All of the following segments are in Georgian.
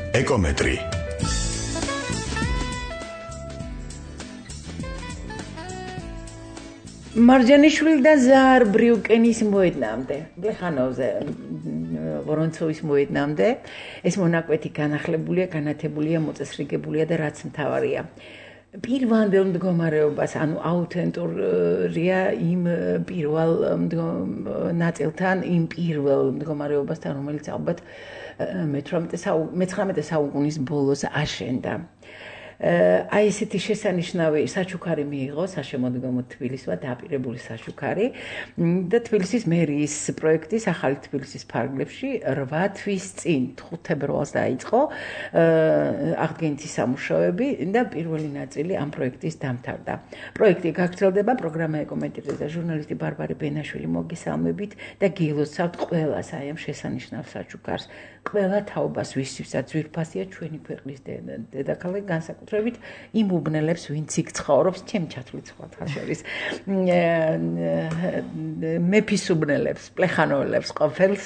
ეკომეტრი. მარჯანიშვილიდან ზაარ ბრიუკენის მოედნამდე, ბლეხანოვზე, ვორონცოვის მოედნამდე, ეს მონაკვეთი განახლებულია, განათებულია, მოწესრიგებულია და რაც მთავარია. პირველ მდგომარეობას, ანუ აუთენტურია იმ პირველ ნაწილთან, იმ პირველ მდგომარეობასთან, რომელიც ალბათ მე-19 საუკუნის ბოლოს აშენდა. აი ესეთი შესანიშნავი საჩუქარი მიიღო საშემოდგომო თბილისმა დაპირებული საჩუქარი და თბილისის მერიის პროექტის ახალი თბილისის ფარგლებში 8 თვის წინ 5 თებერვალს დაიწყო აღდგენითი სამუშაოები და პირველი ნაწილი ამ პროექტის დამთავრდა. პროექტი გაგრძელდება, პროგრამა ეკომეტრი და ჟურნალისტი ბარბარე ბენაშვილი მოგესალმებით და გილოცავთ ყველას აი ამ შესანიშნავ საჩუქარს. ყველა თაობას ვისთვისაც ძვირფასია ჩვენი ქვეყნის დედაქალაქი განსაკუთრებით იმ უბნელებს, ვინც იქ ცხოვრობს, ჩემ ჩათვლით სხვათა შორის. მეფის უბნელებს, პლეხანოველებს ყოფილს,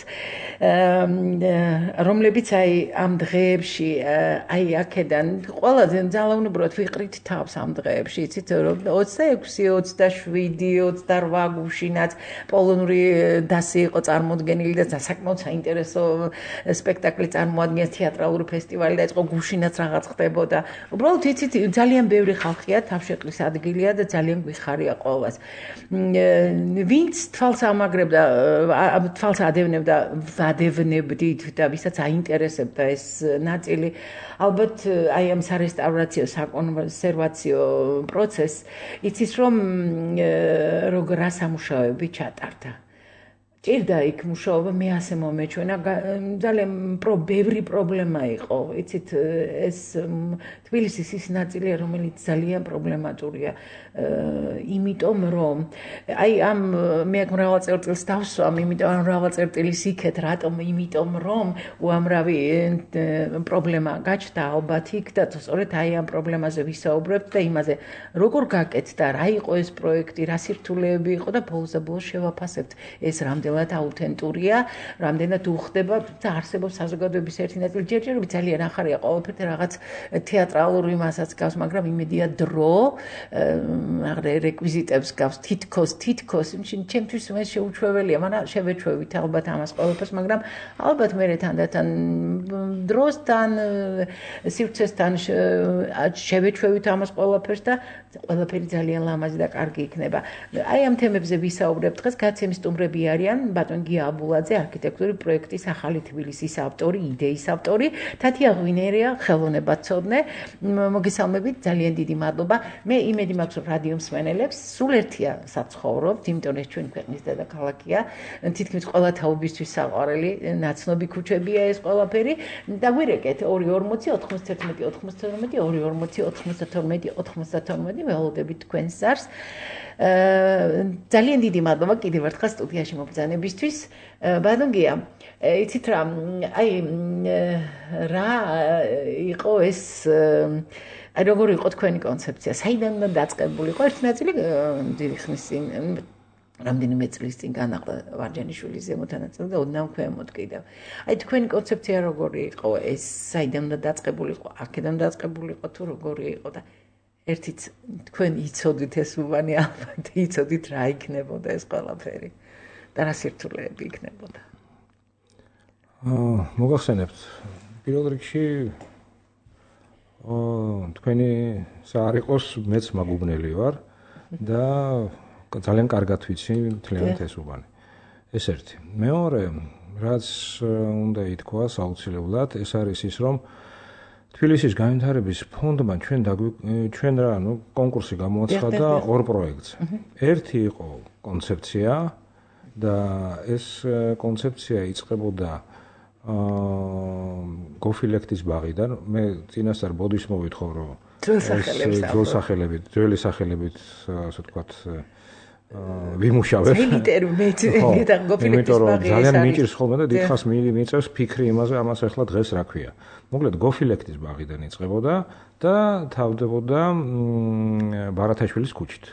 რომლებიც აი ამ დღეებში აი აქედან ყველაზე ძალაუნუბრად ვიყრით თავს ამ დღეებში, იცით, 26, 27, 28 გუშინაც პოლონური დასი იყო წარმოდგენილი და საკმაოდ საინტერესო სპექტაკლი წარმოადგენს, თეატრალური ფესტივალი დაიწყო, გუშინაც რაღაც ხდებოდა. უბრალოდ იცით, ძალიან ბევრი ხალხია, თავშეყრის ადგილია და ძალიან გვიხარია ყოველას. ვინც თვალს ამაგრებდა, თვალს ადევნებდით და ვისაც აინტერესებდა ეს ნაწილი, ალბათ აი ამ სარესტავრაციო, საკონსერვაციო პროცესს იცის, რომ როგორ სამუშაოები ჩატარდა. ჭირდა იქ მუშაობა, მე ასე მომეჩვენა, ძალიან ბევრი პრობლემა იყო, იცით, ეს თბილისის ის ნაწილია, რომელიც ძალიან პრობლემატურია, იმიტომ რომ აი ამ მე აქ მრავალ წერტილს დავსვამ, იმიტომ ამ მრავალ წერტილის იქეთ, რატომ? იმიტომ რომ უამრავი პრობლემა გაჩნდა ალბათ იქ და სწორედ აი ამ პრობლემაზე ვისაუბრებთ და იმაზე, როგორ გაკეთდა, რა იყო ეს პროექტი, რა სირთულეები იყო და ბოლოს შევაფასებთ ეს რამდენად აუთენტურია, რამდენად უხდება და არსებობს საზოგადოების ერთი ნაწილი, ჯერჯერობით ძალიან ახარია ყოველფერდა რაღაც თეატრალური მასაც გავს, მაგრამ იმედია დრო რეკვიზიტებს გავს, თითქოს, ჩემთვის მე შეუჩვეველია, მაგრამ შევეჩვევით ალბათ ამას ყოველფერს, მაგრამ ალბათ მე თანდათან დროსთან, სივრცესთან შევეჩვევით ამას ყოველფერს და ყველაფერი ძალიან ლამაზი და კარგი იქნება. აი ამ თემებზე ვისაუბრებთ დღეს, გაცემის სტუმრები არიან ბატონ გია აბულაძე, არქიტექტურის პროექტის ახალი თბილისის ავტორი, იდეის ავტორი, თათია ღვინერია, ხელოვნებაცოდნე. მოგესალმებით, ძალიან დიდი მადლობა. მე იმედი მაქვს, რომ რადიო მსმენელებს სულ ერთია საცხოვრობთ, იმიტომ ეს ჩვენი ქვეყნის დედაქალაქია, თითქმის ყველა თაობისთვის საყვარელი, ნაცნობი ქუჩებია ეს ყველაფერი. დაგვირეკეთ 240 91 92 240 92 92 ველოდებით თქვენს ზარს. ძალიან დიდი მადლობა კიდევ ერთხელ სტუდიაში მობრძანებისთვის. ბატონ გია, იცით რა, აი რა იყო ეს, აი როგორ იყო თქვენი კონცეფცია, საიდან უნდა დაწყებული იყო? ერთი ნაწილი დიდი ხნის წინ, რამდენიმე წლის წინ განახლდა ვარჯანიშვილის ზემოთანაწილ და ოდნავ ქვემოთ კიდევ. აი თქვენი კონცეფცია როგორი იყო, ეს საიდან უნდა დაწყებული იყო, აქედან დაწყებული იყო თუ როგორი იყო და ერთიც თქვენ იცოდით ეს უბანი, ალბათ იცოდით რა იქნებოდა ეს ყველაფერი და რა სირთულეები იქნებოდა. მოგახსენებთ, პირველ რიგში თქვენი საარ იყოს, მეც მაგუბნელი ვარ და ძალიან კარგად ვიცი მთლიანად ეს უბანი. ეს ერთი. მეორე, რაც უნდა ითქვას აუცილებლად, ეს არის ის, რომ თბილისის განვითარების ფონდმა ჩვენ რა კონკურსი გამოაცხადა ორ პროექტს. ერთი იყო კონცეფცია და ეს კონცეფცია იწყებოდა გოფილექტის ბაღიდან. მე წინასწარ ბოდიშს მოვითხოვ, რომ ძველი სახელებით, ასე ვთქვათ, ვიმუშავებ. იმიტომ რომ ძალიან მიჭირს ხოლმე და დიდხანს მიიწევს ფიქრი იმაზე, ამას ახლა დღეს რა ქვია. მოკლედ გოფილექტის ბაღიდან იწყებოდა და თავდებოდა ბარათაშვილის ქუჩით.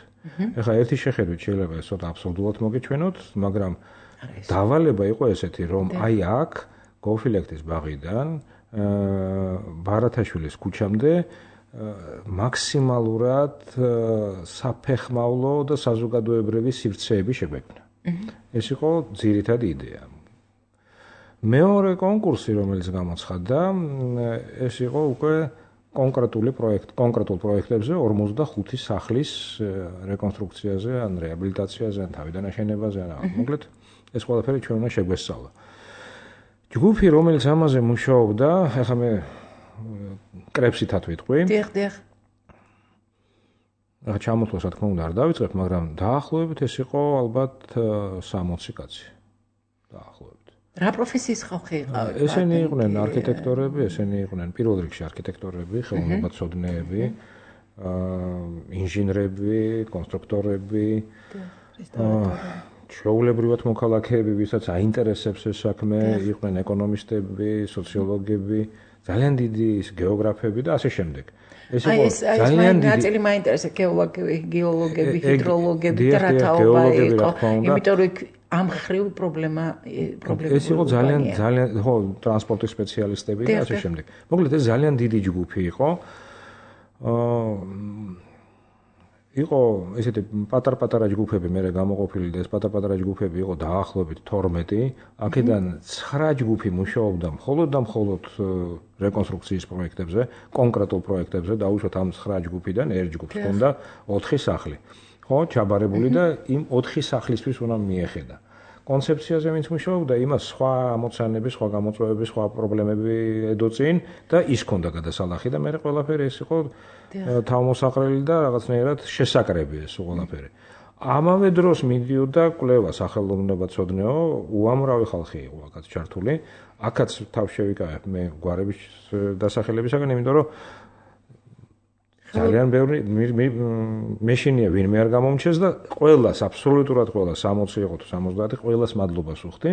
ეხლა ერთი შეხედვით შეიძლება ეს ცოტა აბსურდულად მოგეჩვენოთ, მაგრამ დავალება იყო ესეთი, რომ აი აქ გოფილექტის ბაღიდან ბარათაშვილის ქუჩამდე მაქსიმალურად საფეხმავლო და საზოგადოებრივი სივრცეები შეგვექმნა. ეს იყო ძირითადი იდეა. მეორე კონკურსი, რომელიც გამოცხადდა, ეს იყო უკვე კონკრეტულ პროექტებზე 45 სახლის რეკონსტრუქციაზე, ან რეაბილიტაციაზე, ან თავიდან აშენებაზე, ან მოკლედ ეს ყველაფერი ჩვენ უნდა შეგვესწავლა. ჯგუფი, რომელიც ამაზე მუშაობდა, ახლა მე კრებსითად ვიტყვი. დიახ. ახლა ჩამოთვლას, რა თქმა უნდა, არ დავიწყებ, მაგრამ დაახლოებით ეს იყო ალბათ 60 კაცი. დაახლოებით. რა პროფესიის ხალხი იყავით? ესენი იყვნენ არქიტექტორები, ესენი იყვნენ პირველ რიგში არქიტექტორები, ხელოვნებაცოდნეები, ინჟინრები, კონსტრუქტორები, ჩვეულებრივად მოქალაქეები, ვისაც აინტერესებს ეს საქმე, იყვნენ ეკონომისტები, სოციოლოგები, ძალიან დიდი გეოგრაფები და ასე შემდეგ. ეს იყო ძალიან დიდი ნაწილი მაინტერესებს გეოლოგები, ჰიდროლოგები და რა თაობა იყო, იმიტომ რომ ამ ხრივ პრობლემა ეს იყო ძალიან ხო ტრანსპორტის სპეციალისტები და ასე შემდეგ. მოკლედ ეს ძალიან დიდი ჯგუფი იყო. იყო ესეთი პატარ-პატარა ჯგუფები მერე გამოყოფილი და ეს პატარ-პატარა ჯგუფები იყო დაახლოებით 12. აქედან 9 ჯგუფი მუშაობდა მხოლოდ რეკონსტრუქციის პროექტებზე, კონკრეტულ პროექტებზე, დაუშვათ ამ 9 ჯგუფიდან ერთ ჯგუფს ჰქონდა 4 სახლი. ხო, ჩაბარებული და იმ 4 სახლისთვის უნდა მიეხედა. კონცეფციაზე ვინც მუშაობდა, იმას სხვა ამოცანები, სხვა გამოწვევები, სხვა პრობლემები ედოწინ და ის ჰქონდა გადასალახი და მე ყველაფერი ეს იყო თავმოსაყრელი და რაღაცნაირად შესაკრები ეს ყველაფერი. ამავე დროს მიდიოდა კვლევა სახელოვნებაცოდნეო, უამრავი ხალხი იყო აქაც ჩართული. აქაც თავს შევიკავებ მე გვარების დასახელებისაგან, იმიტომ რომ ძალიან ბევრი მეშინია ვინმე არ გამომჩეს და ყველას აბსოლუტურად ყველას 60 იყო თუ 70 ყველას მადლობას ვუხდი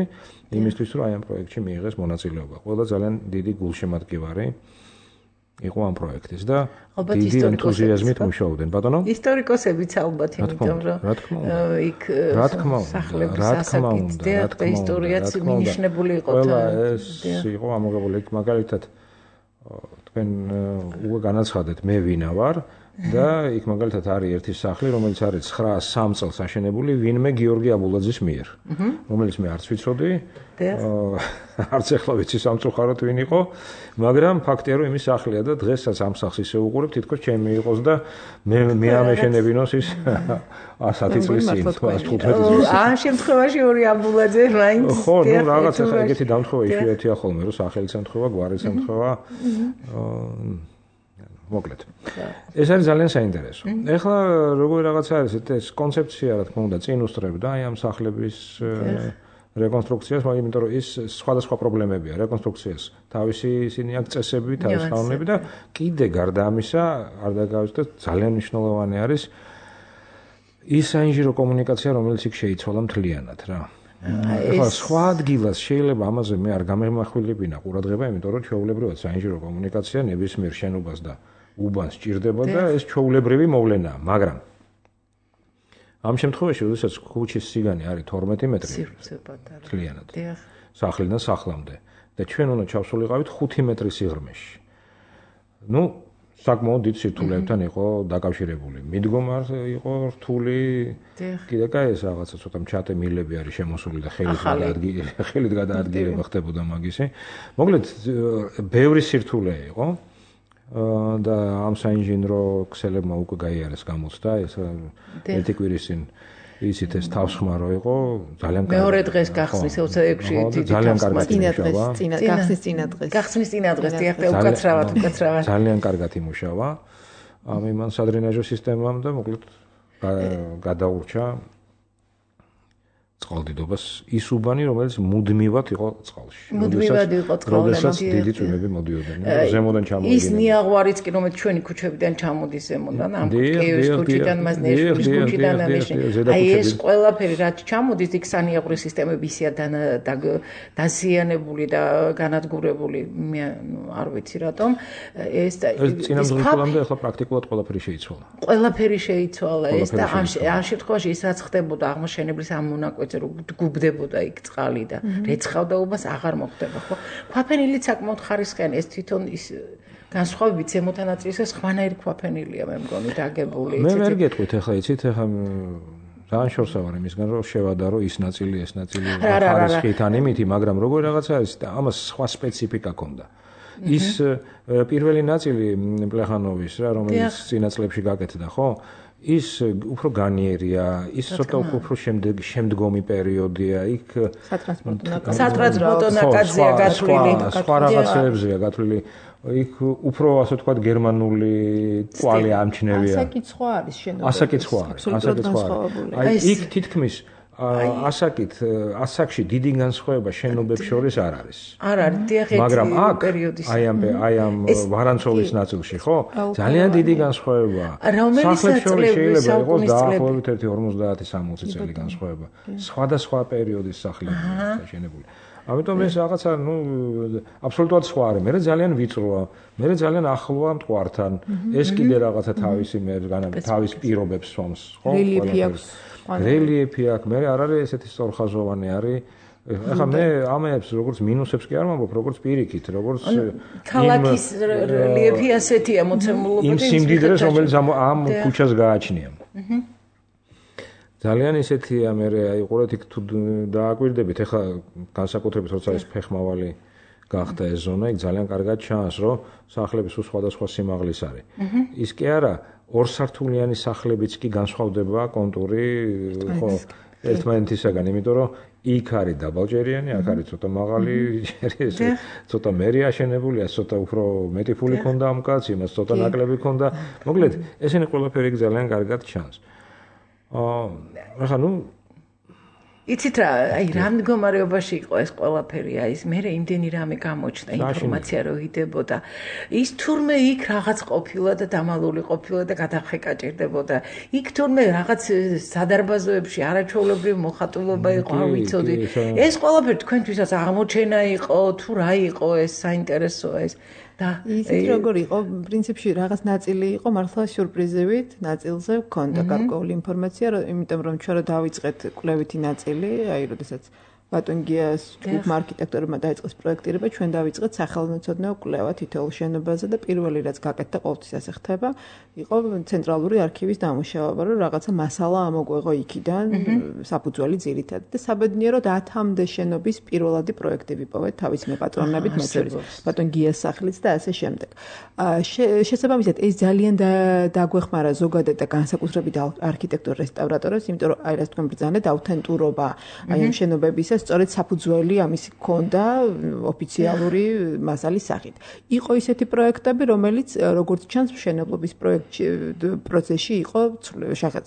იმისთვის რომ აი ამ პროექტში მიიღეს მონაწილეობა. ყველა ძალიან დიდი გულშემატკივარი იყო ამ პროექტის და დიდი ენთუზიაზმით მუშაობდნენ. ბატონო? ისტორიკოსებიც ალბათ, იმიტომ რომ იქ სახლების ასაკით და ისტორიაც მინიშნებული იყო. ყველა ეს იყო ამოღებული იქ მაგალითად თქვენ უკვე განაცხადეთ მე ვინა ვარ და იქ მაგალითად არის ერთი სახლი, რომელიც არის 903 წელს აშენებული ვინმე გიორგი აბულაძის მიერ, რომელიც მე არც ვიცოდი, არც ახლა ვიცი სამწუხაროდ ვინ იყო, მაგრამ ფაქტია რომ იმის სახლია და დღესაც ამ სახლს ისე უყურებ, თითქოს ჩემი იყოს და მე ამეშენებინოს ის 10 წლის წინ, 15 წლის. ამ შემთხვევაში ორი აბულაძე მაინც. ხო, ნუ რაღაც ახლა ეგეთი დამთხოვა იშვიათია ხოლმე, რომ სახელიც ემთხვევა, გვარიც ემთხვევა. მოკლედ. ეს არის ძალიან საინტერესო. ეხლა როგორი რაღაცა არის ეს კონცეფცია, რა თქმა უნდა, წინ უსწრებდა აი ამ სახლების რეკონსტრუქციას, იმიტომ რომ ის სხვადასხვა პრობლემებია რეკონსტრუქციას. თავისი ისინი აქვს წესები, თავისი კანონები და კიდე გარდა ამისა, არ დაგავიწყდეთ, ძალიან მნიშვნელოვანი არის ის საინჟინრო კომუნიკაცია, რომელიც იქ შეიცვალა მთლიანად რა. ეხლა სხვა ადგილას შეიძლება ამაზე მე არ გამემახვილებინა ყურადღება, იმიტომ რომ ჩვეულებრივად საინჟინრო კომუნიკაცია ნებისმიერ შენობას და უბანს სჭირდება და ეს ჩვეულებრივი მოვლენაა, მაგრამ ამ შემთხვევაში, როდესაც ქუჩის სიგანი არის 12 მეტრი, მთლიანად. სახლიდან სახლამდე და ჩვენ უნდა ჩავსულიყავით 5 მეტრის სიღრმეში. ნუ საკმაოდ დიდ სირთულეებთან იყო დაკავშირებული. მიდგომარ იყო რთული. კიდე კაი ეს რაღაცა ცოტა მჩატე მილები არის შემოსული და ხელით გადაადგილება ხდებოდა მაგისი. მოკლედ ბევრი სირთულე იყო. და ამ საინჟინრო ქსელებმა უკვე გაიარეს გამოცდა, ეს ერთი კვირის წინ იცით ეს თავსხმარო იყო, ძალიან კარგი. მეორე დღეს გახსნის 26-ში დიდი წინა გახსნის წინა დღეს დიახ და უკაცრავად. ძალიან კარგად იმუშავა. ამ იმან სადრენაჟო სისტემამ და მოკლედ გადაურჩა წყალდიდობას ის უბანი, რომელიც მუდმივად იყო წყალში. მუდმივად იყო წყალში. როდესაც დიდი წვიმები მოდიოდნენ, ზემოდან ჩამოვიდნენ. ის ნიაღვარიც კი, რომელიც ჩვენი ქუჩებიდან ჩამოდის ზემოდან, ამ კიევის ქუჩიდან, მაზნეშვილის ქუჩიდან აი ეს ყველაფერი რაც ჩამოდის, იქ სანიაღვრის სისტემები ისეა დაზიანებული და განადგურებული, მე არ ვიცი რატომ. ეს წინამძღოლამდე ახლა პრაქტიკულად ყველაფერი შეიცვალა. ყველაფერი შეიცვალა ეს და ამ შემთხვევაში ის რაც ხდებოდა აღმოჩენებლის ამ მონაკვეთ იცი რომ გუბდებოდა იქ წყალი და რეცხავდა უბას აღარ მოხდება ხო ქვაფენილიც საკმაოდ ხარისხიანი ეს თვითონ ის განსხვავებით ზემოთა ნაწილისა სხვანაირი ქვაფენილია მე მგონი დაგებული მე ვერ გეტყვით ახლა იცით ახლა ძალიან შორსა ვარ იმისგან რომ შევადარო ის ნაწილი ხარისხით ან იმითი მაგრამ როგორ რაღაცა არის და ამას სხვა სპეციფიკა ჰქონდა ის პირველი ნაწილი პლეხანოვის რა რომელიც წინა წლებში გაკეთდა ხო ის უფრო განიერია ის ცოტა უფრო შემდგომი პერიოდია იქ სატრანსპორტო ნაკადზეა გათვლილი სხვა რაღაცებზეა გათვლილი იქ უფრო ასე ვთქვათ გერმანული კვალი ამჩნევია ასაკიც სხვა არის შენობა ასაკიც სხვა არის იქ თითქმის ასაკით ასაკში დიდი განსხვავება შენობებს შორის არ არის მაგრამ აქ აი ამ ვარანცოვის ნაწილში ხო ძალიან დიდი განსხვავებაა სახლებს შორის შეიძლება იყოს დაახლოებით 50-60 წელი განსხვავება სხვადასხვა პერიოდის სახლებია შენებული ამიტომ ეს რაღაცა აბსოლუტურად სხვა არის მე ძალიან ვიწროა მე ძალიან ახლოა მტკვართან ეს კიდე რაღაცა თავისი თავის პირობებს სვამს ხო რელიეფი აქვს მე არ არის ესეთი სწორხაზოვანი არის ახლა მე ამებს როგორც მინუსებს კი არ ვამბობ როგორც პირიქით როგორც ქალაქის რელიეფი ასეთია მოცემულობა იმ სიმდიდრეს რომელიც ამ ქუჩას გააჩნია ძალიან ისეთია მე აი ყურეთ იქ თუ დააკვირდებით ახლა განსაკუთრებით როცა ეს ფეხმავალი გახდა ეს ზონა იქ ძალიან კარგად ჩანს რომ სახლები სულ სხვადასხვა სიმაღლის არის ის კი არა ორსართულიანი სახლებიც კი განსხვავდება კონტური ხო ერთმანეთისაგან იმიტომ რომ იქ არის დაბალჯერიანი აქ არის ცოტა მაღალი ჯერი ეს ცოტა მერი აშენებულია ცოტა უფრო მეტი ფული ქონდა ამ კაცს იმას ცოტა ნაკლები ქონდა მოკლედ ესენი ყველაფერი ძალიან კარგად ჩანს ახლა იცით რა აი რა მდგომარეობაში იყო ეს ყველაფერი აი ეს მე იმდენი რამე გამოჩნდა ინფორმაცია რო იდებოდა ის თურმე იქ რაღაც ყოფილა და დამალული ყოფილა და გადახეკა ჭირდებოდა იქ თურმე რაღაც სადარბაზოებში არაჩვეულებრივი მოხატულობა იყო არ ვიცოდი ეს ყველაფერი თქვენთვისაც აღმოჩენა იყო თუ რა იყო ეს საინტერესოა ეს და ისეთ როგორ იყო პრინციპში რაღაც ნაწილი იყო მართლა სიურპრიზებით ნაწილზე გქონდა გარკვეული ინფორმაცია იმიტომ რომ ჩვენ დავიწყეთ კვლევითი ნაწილი აი როდესაც ბატონგიას ჯგუფმა არქიტექტორებმა დაიწყეს პროექტირება ჩვენ დავიწყეთ სახელმწიფო კვლევა თითოეულ შენობაზე და პირველი რაც გაკეთდა ყოველთვის ასე ხდება იყო ცენტრალური არქივის დამუშავება რომ რაღაცა მასალა ამოგვეღო იქიდან საფუძველი ძირითად და საბედნიეროდ 10-მდე შენობის პირველადი პროექტები პოვეთ თავის მეპატრონებით მათ შორის ბატონგიას სახლიც და ასე შემდეგ შესაბამისად ეს ძალიან დაგვეხმარა ზოგადად და განსაკუთრებით არქიტექტორ რესტავრატორებს იმიტომ რომ აი რას თქვენ ბრძანეთ აუთენტურობა აი ამ შენობების სწორედ საფუძველი ამისი ჰქონდა ოფიციალური მასალის სახით. იყო ისეთი პროექტები, რომელიც როგორც ჩანს მშენებლობის პროცესში იყო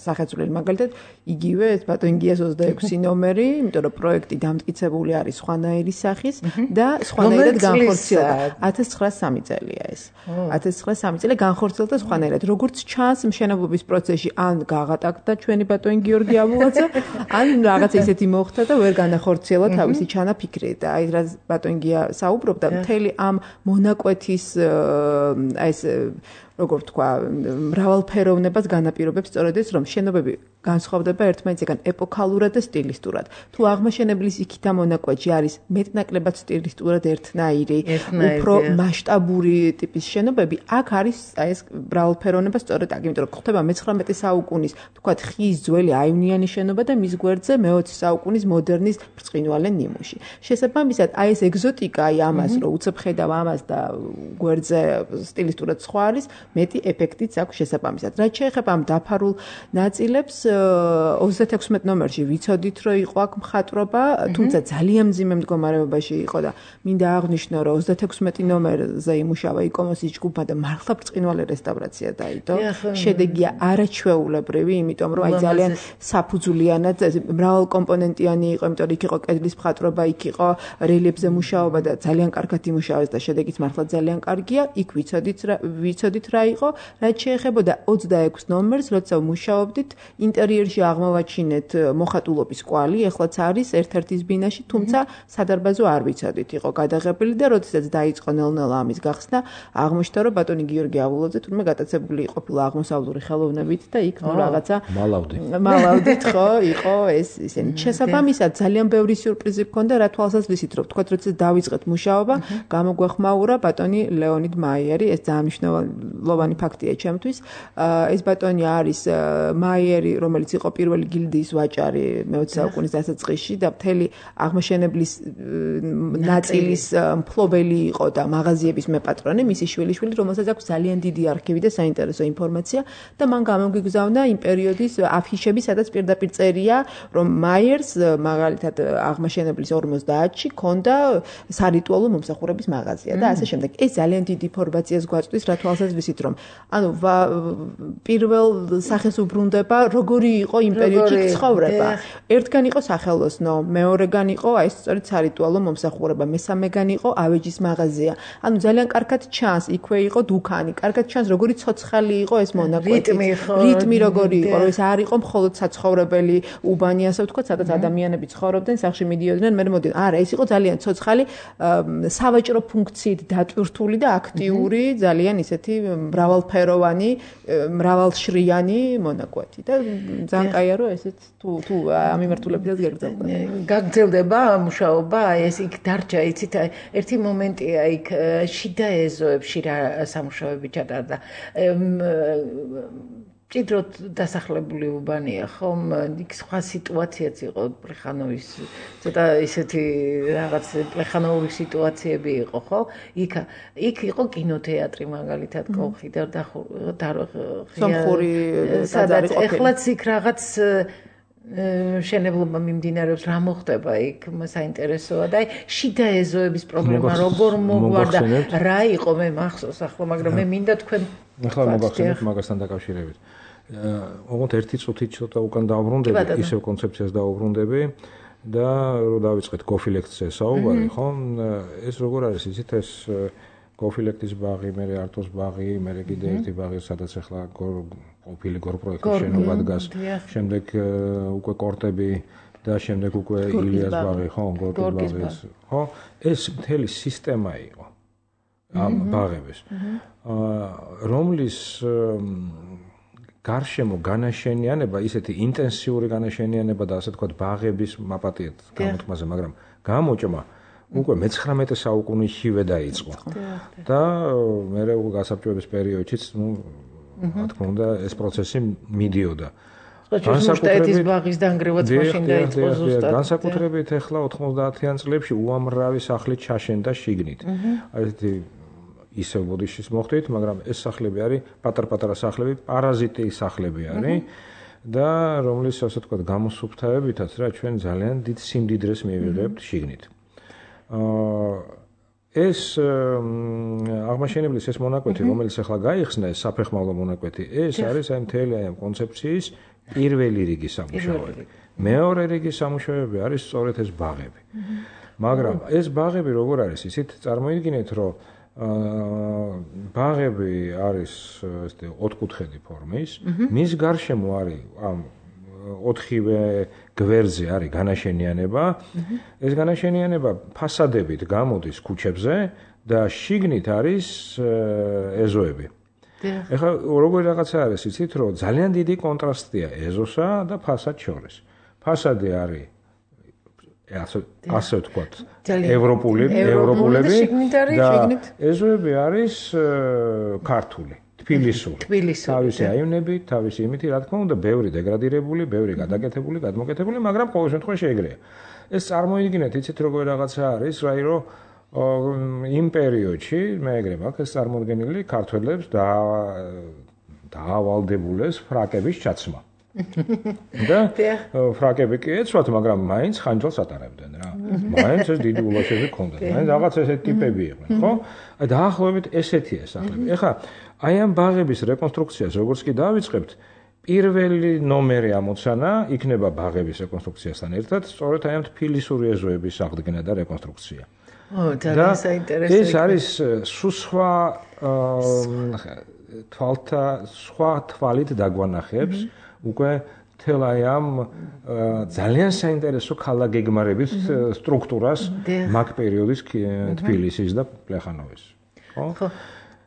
სახეცვლილი, მაგალითად, იგივე ეს ბატონგიას 26 ნომერი, იმიტომ რომ პროექტი დამტკიცებული არის სხვანაირი სახის და სხვანაირად განხორციელდა. 1903 წელია ეს. 1903 წელი განხორციელდა სხვანაირად. როგორც ჩანს მშენებლობის პროცესში, ან გაღატაკდა ჩვენი ბატონი გიორგი აბულაძე, ან რაღაც ისეთი მოხდა და ვერ განახორციელა თავისი ჩანაფიქრი და აი რა ბატონგია საუბრობდა მთელი ამ მონაკვეთის აი ეს როგორ თქვა მრავალფეროვნებას განაპირობებს სწორედ ეს რომ შენობები განსხვავდება ერთმანეთისგან ეპოქალურად და სტილისტურად. თუ აღმაშენებლის იქით ამ მონაკვეთში არის მეტნაკლებად სტილისტურად ერთნაირი, უფრო მასშტაბური ტიპის შენობები, აქ არის აი ეს მრავალფეროვნება სწორედ აქ, იმიტომ რომ ხდება მე-19 საუკუნის, თქვათ, ხის ძველი აივნიანი შენობა და მის გვერდზე მე-20 საუკუნის მოდერნის ბრწყინვალე ნიმუში. შესაბამისად, აი ეს ეგზოტიკა, აი ამას, რომ უცებ ხედავ ამას და გვერდზე სტილისტურად სხვა არის, მეტი ეფექტიც აქვს შესაბამისად. რაც შეეხება ამ დაფარულ ნაწილებს 36 ნომერში ვიცოდით რომ იყო აქ მხატვრობა, თუმცა ძალიან მძიმე მდგომარეობაში იყო და მინდა აღვნიშნო რომ 36 ნომერზე იმუშავა იკომოსის ჯგუფმა და მართლა ბრწყინვალე რესტავრაცია დაიდო. შედეგია არაჩვეულებრივი, იმიტომ რომ აი ძალიან საფუძვლიანად მრავალკომპონენტიანი იყო, იმიტომ რომ იქ იყო კედლის მხატვრობა, იქ იყო რელიეფზე მუშაობა და ძალიან კარგად იმუშავეს და შედეგიც მართლა ძალიან კარგია. იქ ვიცოდით რა რა იყო, რაც შეეხებოდა 26 ნომერს, როცა მუშაობდით, ინტერიერში აღმოვაჩინეთ მოხატულობის კვალი, ეხლაც არის ერთ-ერთის ბინაში, თუმცა სადარბაზო არ ვიცოდით, იყო გადაღებული და როდესაც დაიწყო ნელ-ნელა ამის გახსნა, აღმოჩნდა, რომ ბატონი გიორგი ავულაძე თურმე გატაცებული ყოფილა აღმოსავლური ხელოვნებით და იქ რაღაცა მალავდით, ხო, იყო ეს ისინი. შესაბამისად, ძალიან ბევრი სიურპრიზი მქონდა, რა თვალსაზრისით, რომ თქვა, როცა დავიწყეთ მუშაობა, გამოგვეხმაურა ბატონი ლეონიდ მაიერი, ეს ძალიან მნიშვნელოვანი ფაქტია ჩემთვის. ეს ბატონი არის მაიერი, რომელიც იყო პირველი გილდიის ვაჭარი მე-20 საუკუნის დასაწყისში და მთელი აღმაშენებლის ნაწილის მფლობელი იყო და მაღაზიების მეპატრონე, მისი შვილიშვილი, რომელსაც აქვს ძალიან დიდი არქივი და საინტერესო ინფორმაცია და მან გამოგიგზავნა იმ პერიოდის აფიშები, სადაც პირდაპირ წერია, რომ მაიერს მაგალითად აღმაშენებლის 50-ში ქონდა სარიტუალო მომსახურების მაღაზია და ასე შემდეგ. ეს ძალიან დიდი ინფორმაციას გვაწვდის, რა თვალსაზრისით, რომ ანუ პირველ სახეს უბრუნდება, როგორი იყო იმ პერიოდში ცხოვრება. ერთგან იყო სახელოსნო, მეორეგან იყო აი სწორედ სარიტუალო მომსახურება, მესამეგან იყო ავეჯის მაღაზია. ანუ ძალიან კარგად ჩანს, იქვე იყო დუქანი, კარგად ჩანს, როგორი ცოცხალი იყო ეს მონაკვეთი. რიტმი როგორი იყო, რომ ეს არ იყო მხოლოდ საცხოვრებელი უბანი, ასე ვთქვათ, სადაც ადამიანები ცხოვრობდნენ, სახლში მიდიოდნენ, მე მოდიან. არა, ეს იყო ძალიან ცოცხალი, სავაჭრო ფუნქციით დატვირთული და აქტიური, ძალიან ისეთი მრავალფეროვანი, მრავალშრიანი მონაკვეთი და ძალიან კაია, რომ ესეც თუ ამ მიმართულებითაც გაგრძელდება მუშაობა, ეს იქ დარჩა, იცით, ერთი მომენტია იქ შიდა ეზოებში რა სამუშაოები ჩატარდა. ჭიდროდ დასახლებული უბანია, ხომ? იქ სხვა სიტუაციაც იყო პლეხანოვის, ცოტა ისეთი რაღაც პლეხანოვური სიტუაციები იყო, ხო? იქ იყო კინოთეატრი მაგალითად, კოლხი და სომხური სადაც ეხლაც იქ რაღაც შენებლობა მიმდინარეობს, რა მოხდება იქ, საინტერესოა და შიდა ეზოების პრობლემა როგორ მოგვარდა, რა იყო მე მახსოვს ახლა, მაგრამ მე მინდა თქვენ ახლა მოგახსენებთ მაგასთან დაკავშირებით. ოღონდ ერთი წუთით ცოტა უკან დავუბრუნდები, ისევ კონცეფციას დავუბრუნდები და რო დავიწყეთ კოფილექტზე საუბარი, ხო? ეს როგორ არის, იცით, ეს კოფილექტის ბაღი, მე არტოს ბაღი, მე კიდე ერთი ბაღი, სადაც ახლა ყოფილი გორპროექტის შენობა დგას, შემდეგ უკვე კორტები და შემდეგ უკვე ილიას ბაღი, ხო, გორკის ბაღი, ხო? ეს მთელი სისტემა იყო ამ ბაღების, რომლის გარშემო განაშენიანება, ისეთი ინტენსიური განაშენიანება და ასე თქვათ ბაღების მაპატიეთ გამოთქმაზე, მაგრამ გამოჭმა უკვე მე-19 საუკუნეშივე დაიწყო. და მე გასაბჭოების პერიოდშიც, რა თქმა უნდა, ეს პროცესი მიდიოდა. განსაკუთრებით ბაღის დანგრევაც მაშინ დაიწყო ზუსტად. განსაკუთრებით ახლა 90-იან წლებში უამრავი სახლი ჩაშენდა შიგნით. აი ესეთი ისევ ბოდიშის მოხდით, მაგრამ ეს სახლები არის პატარ-პატარა სახლები, პარაზიტი სახლები არის და რომლის ასე ვთქვათ გამოსუფთავებითაც რა ჩვენ ძალიან დიდ სიმდიდრეს მივიღებთ შიგნით. ეს აღმაშენებლის ეს მონაკვეთი, რომელიც ახლა გაიხსნა, საფეხმავლო მონაკვეთი, ეს არის აი მთელი ამ კონცეფციის პირველი რიგის სამუშაოები. მეორე რიგის სამუშაოები არის სწორედ ეს ბაღები. მაგრამ ეს ბაღები როგორ არის, ისიც წარმოიდგინეთ, რომ ბაღები არის ესეთი ოთხკუთხედი ფორმის, მის გარშემო არის ამ 4-ვე გვერდზე არის განაშენიანება. ეს განაშენიანება ფასადებით გამოდის ქუჩებზე და შიგნით არის ეზოები. ეხლა როგორი რაღაცა არის, იცით, რომ ძალიან დიდი კონტრასტია ეზოსა და ფასადს შორის. ფასადი არის ასე ვთქვათ, ევროპულები და ეზოები არის ქართული. თბილისური. თავისი აივნებით, თავისი იმითი, რა თქმა უნდა, ბევრი დეგრადირებული, ბევრი გადაკეთებული, გადმოკეთებული, მაგრამ ყოველ შემთხვევაში ეგრეა. ეს წარმოიდგინეთ, იცით როგორ რაღაცა არის, რაი რომ იმ პერიოდში, მე ეგრე მაქვს ეს წარმოდგენილი ქართველებს დაავალდებულეს ფრაკების ჩაცმა. და ფრაკები კი ეცვათ, მაგრამ მაინც ხანჯალს ატარებდნენ რა. მაინც ეს დიდი ულაშები ჰქონდათ. მაინც რაღაც ესეთი ტიპები იყვნენ, ხო? აი დაახლოებით ესეთია სახლები. ეხლა აი ამ ბაღების რეკონსტრუქციას როგორც კი დავიწყებთ, პირველი ნომერი ამოცანა იქნება ბაღების რეკონსტრუქციასთან ერთად, სწორედ აი ამ თბილისური ეზოების აღდგენა და რეკონსტრუქცია. ძალიან საინტერესო. ეს არის სხვა თვალთა სხვა თვალით დაგვანახებს უკვე თელ აი ამ ძალიან საინტერესო ქალაქგეგმარებით სტრუქტურას მაგ პერიოდის თბილისის და პლეხანოვის. ხო?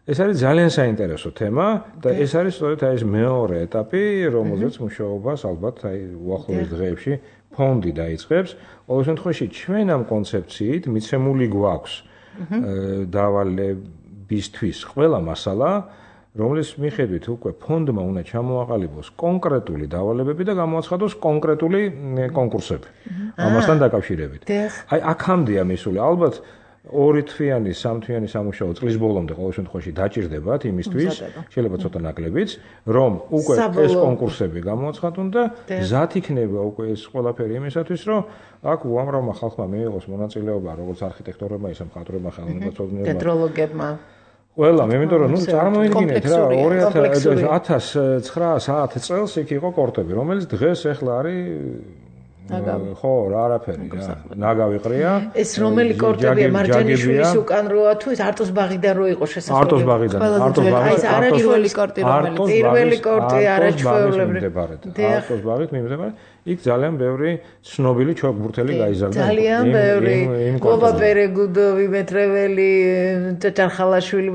ეს არის ძალიან საინტერესო თემა და ეს არის სწორედ აი ეს მეორე ეტაპი, რომელზეც მუშაობას ალბათ აი უახლოეს დღეებში ფონდი დაიწყებს. ყოველ შემთხვევაში ჩვენ ამ კონცეფციით მიცემული გვაქვს დავალებისთვის ყველა მასალა, რომლის მიხედვით უკვე ფონდმა უნდა ჩამოაყალიბოს კონკრეტული დავალებები და გამოაცხადოს კონკრეტული კონკურსები. ამასთან დაკავშირებით. აი აქამდეა მისული ალბათ 2 თვიანი, 3 თვიანი სამუშაო წლის ბოლომდე ყოველ შემთხვევაში დაჭირდებათ იმისთვის, შეიძლება ცოტა ნაკლებიც, რომ უკვე ეს კონკურსები გამოაცხადონ და გზად იქნება უკვე ეს ყველაფერი იმისათვის, რომ აქ უამრავმა ხალხმა მიიღოს მონაწილეობა, როგორც არქიტექტორებმა, ისე მხატვრებმა, ხელოვნებაცოდნეებმა, თეატროლოგებმა. ყველა, იმიტომ რომ წარმოიდგინეთ რა 1909 წელს იქ იყო კორტები, რომელიც დღეს ახლა არის ხო, რა არაფერი რა. ნაგავი ყრია. ეს რომელი კორტებია მარჯანიშვილის უკან როა თუ ეს არტოს ბაღიდან რო იყო შესაძლებელი. არტოს ბაღიდან. ეს არა პირველი კორტი რომელიც პირველი კორტი არაჩვეულებრივი. არტოს ბაღით მიმდებარე. იქ ძალიან ბევრი ცნობილი ჩოგბურთელი გაიზარდა. ძალიან ბევრი. გობა პერეგუდოვი, მეტრეველი, ჭაჭარხალაშვილი,